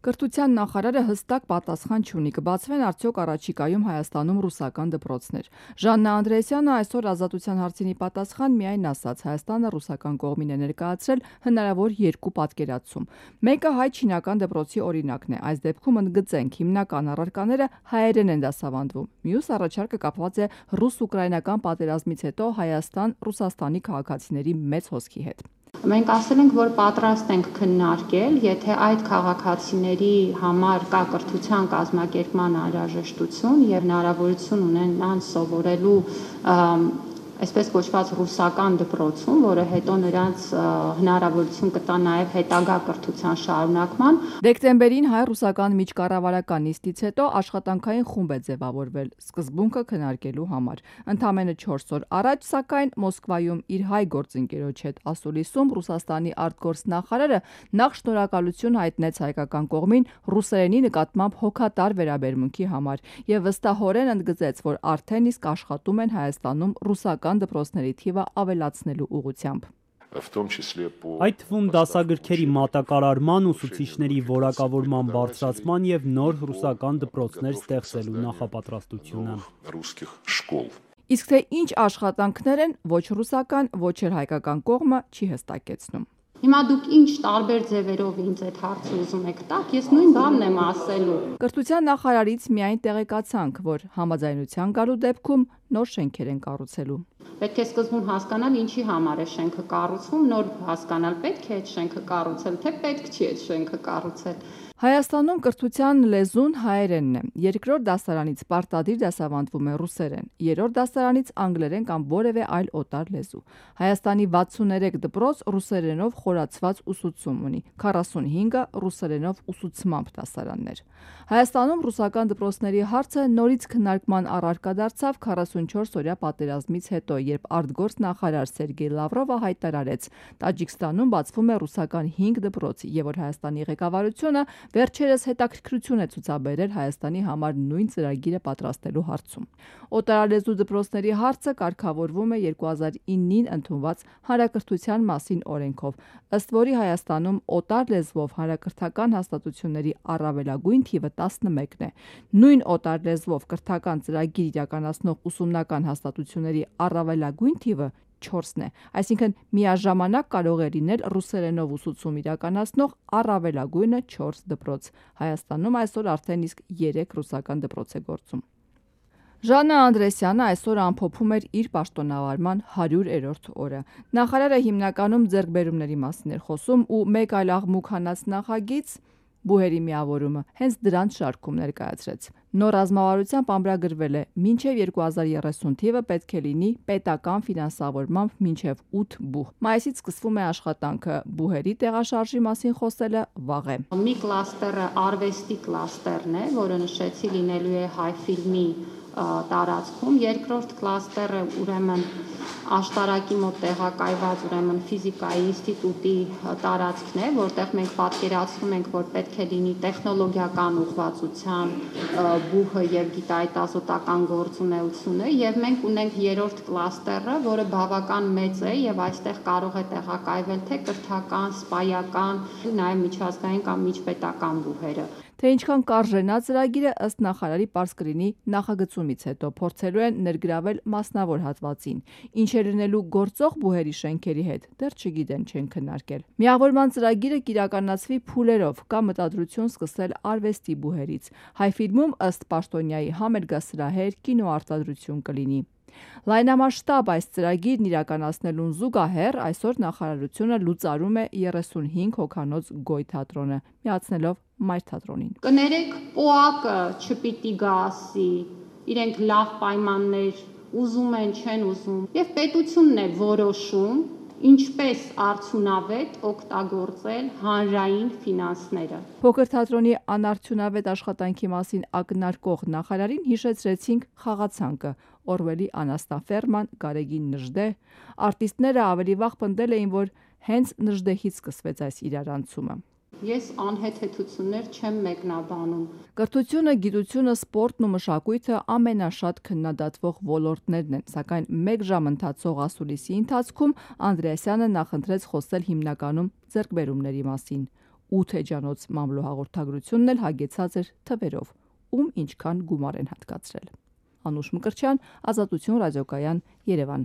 Կրթության նախարարը հստակ պատասխան չունի, կբացվեն արդյոք առաջիկայում Հայաստանում ռուսական դպրոցներ։ Ժաննա Անդրեասյանը այսօր Ազատության հարցինի պատասխան միայն ասաց, Հայաստանը ռուսական կողմին է ներկայացրել հնարավոր երկու պատկերացում։ Մեկը հայ-չինական դպրոցի օրինակն է, այս դեպքում ընդգծենք, հիմնական առարկաները հայերեն են դասավանդվում։ Մյուս առաջարկը կապված է ռուս-ուկրաինական պատերազմից հետո Հայաստան-Ռուսաստանի քաղաքացիների մեծ հոսքի հետ։ Մենք ասել ենք, որ պատրաստ ենք քննարկել, եթե այդ քաղաքացիների համար կա կրթության կազմակերպման անհրաժեշտություն եւ հնարավորություն ունենան սովորելու այսպես կոչված ռուսական դպրոցում, որը հետո նրանց հնարավորություն կտա նաև հետագա կրթության շարունակման։ Դեկտեմբերին հայ-ռուսական միջկառավարական նիստից հետո աշխատանքային խումբ է ձևավորվել սկզբունքը քննարկելու համար։ Ընդամենը 4 օր առաջ, սակայն, Մոսկվայում իր հայ գործընկերոջ հետ ասուլիսում Ռուսաստանի արտգործնախարարը նախ շնորհակալություն հայտնեց հայկական կողմին ռուսերենի նկատմամբ հոգատար վերաբերմունքի համար եւ վստահորեն ընդգծեց, որ արդեն իսկ աշխատում են Հայաստանում ռուսական դպրոցների թիվը ավելացնելու ուղղությամբ։ Այդ թվում դասագրքերի մատակարարման, ուսուցիչների որակավորման բարձրացման եւ նոր ռուսական դպրոցներ ստեղծելու նախապատրաստությունը։ Իսկ թե ինչ աշխատանքներ են, ոչ ռուսական, ոչ էլ հայկական կողմը չի հստակեցնում։ Հիմա դուք ինչ տարբեր ձևերով ինձ այդ հարցը ուզում եք տաք, ես նույն բանն եմ ասելու։ Կրթության նախարարից միայն տեղեկացանք, որ համաձայնության գալու դեպքում նոր շենքեր են կառուցելու։ Պետք է սկզբում հասկանալ ինչի համար է շենքը կառուցվում, նոր հասկանալ պետք է այդ շենքը կառուցել, թե պետք չի այդ շենքը կառուցել։ Հայաստանում կրթության լեզուն հայերենն է, երկրորդ դասարանից պարտադիր դասավանդվում է ռուսերեն, երրորդ դասարանից անգլերեն կամ որևէ այլ օտար լեզու։ Հայաստանի 63 դպրոց ռուսերենով խորացված ուսուցում ունի, 45-ը ռուսերենով ուսուցմամբ դասարաններ։ Հայաստանում ռուսական դպրոցների հարցը նորից քննարկման առարկա դարձավ 44-օրյա պատերազմից հետո, երբ արտգործնախարար Սերգեյ Լավրովը հայտարարեց, Տաջիկստանում բացվում է ռուսական 5 դպրոց, եւ որ Հայաստանի ղեկավարությունը վերջերս հետաքրքրություն է ցուցաբերել Հայաստանի համար նույն ծրագիրը պատրաստելու հարցում։ Օտարալեզու դպրոցների հարցը կարգավորվում է 2009-ին ընդունված հանրակրթության մասին օրենքով, ըստ որի Հայաստանում օտար լեզվով հանրակրթական հաստատությունների առավելագույն թիվը 11 է։ Նույն օտար լեզվով կրթական ծրագիր իրականացնող ուսումնական հաստատությունների առավելագույն թիվը 4-ն է, այսինքն միաժամանակ կարող է լինել ռուսերենով ուսուցում իրականացնող առավելագույնը 4 դպրոց։ Հայաստանում այսօր արդեն իսկ 3 ռուսական դպրոց է գործում։ Ժաննա Անդրեասյանը այսօր ամփոփում էր իր պաշտոնավարման 100-րդ օրը։ Նախարարը հիմնականում ձեռքբերումների մասին էր խոսում ու մեկ այլ աղմուկ հանած նախագիծ բուհերի միավորումը հենց դրանց շարքում ներկայացրեց։ Նոր ռազմավարությամբ ամրագրվել է, մինչև 2030 թիվը պետք է լինի պետական ֆինանսավորմամբ մինչև 8 բուհ։ Մայիսից սկսվում է աշխատանքը, բուհերի տեղաշարժի մասին խոսելը վաղ է։ Մի կլաստերը արվեստի կլաստերն է, որը նշեցի լինելու է հայ ֆիլմի տարածքում, երկրորդ կլաստերը ուրեմն աշտարակի մոտ տեղակայված ուրեմն ֆիզիկայի ինստիտուտի տարածքն է, որտեղ մենք պատկերացնում ենք, որ պետք է լինի տեխնոլոգիական ուղղվածության բուհը եւ գիտահետազոտական գործունեությունը, եւ մենք ունենք երրորդ կլաստերը, որը բավական մեծ է եւ այստեղ կարող է տեղակայվել թե կրթական, սպայական, նաեւ միջազգային կամ միջպետական բուհերը։ Թե ինչքան կարժենա ծրագիրը ըստ նախարարի պարզ կլինի նախագծումից հետո, փորձելու են ներգրավել մասնավոր հատվածին։ Ինչ է լինելու գործող բուհերի շենքերի հետ, դեռ չգիտեն, չեն քննարկել։ Միավորման ծրագիրը կիրականացվի փուլերով, կա մտադրություն սկսել արվեստի բուհերից։ Հայ ֆիլմում ըստ պաշտոնյայի համերգասրահեր, կինոարտադրություն կլինի։ Լայնամասշտաբ այս ծրագիրն իրականացնելուն զուգահեռ այսօր նախարարությունը լուծարում է 35 հոգանոց Գոյ թատրոնը, միացնելով Մայր թատրոնին։ Կներեք, ՊՕԱԿ-ը չպիտի գա ասի, իրենք լավ պայմաններ ուզում են, չեն ուզում, եւ պետությունն է որոշում ինչպես արդյունավետ օգտագործել հանրային ֆինանսները։ Փոքր թատրոնի անարդյունավետ աշխատանքի մասին ակնարկող նախարարին հիշեցրեցինք խաղացանկը, Օրվելի Անաստաֆերման, Գարեգին Նժդե։ Արտիստները ավելի վաղ պնդել էին, որ հենց Նժդեհից սկսվեց այս իրարանցումը։ Ես անհեթեթություններ չեմ մեկնաբանում։ Կրթությունը, գիտությունը, սպորտն ու մշակույթը ամենաշատ քննադատվող ոլորտներն են, սակայն 1 ժամ ընթացող ասուլիսի ընթացքում Անդրեասյանը նախընտրեց խոսել հիմնականում ձեռքբերումների մասին։ 8 էջանոց մամլո հաղորդագրությունն էլ հագեցած էր թվերով, ում ինչքան գումար են հատկացրել։ Անուշ Մկրտչյան, Ազատություն ռադիոկայան, Երևան։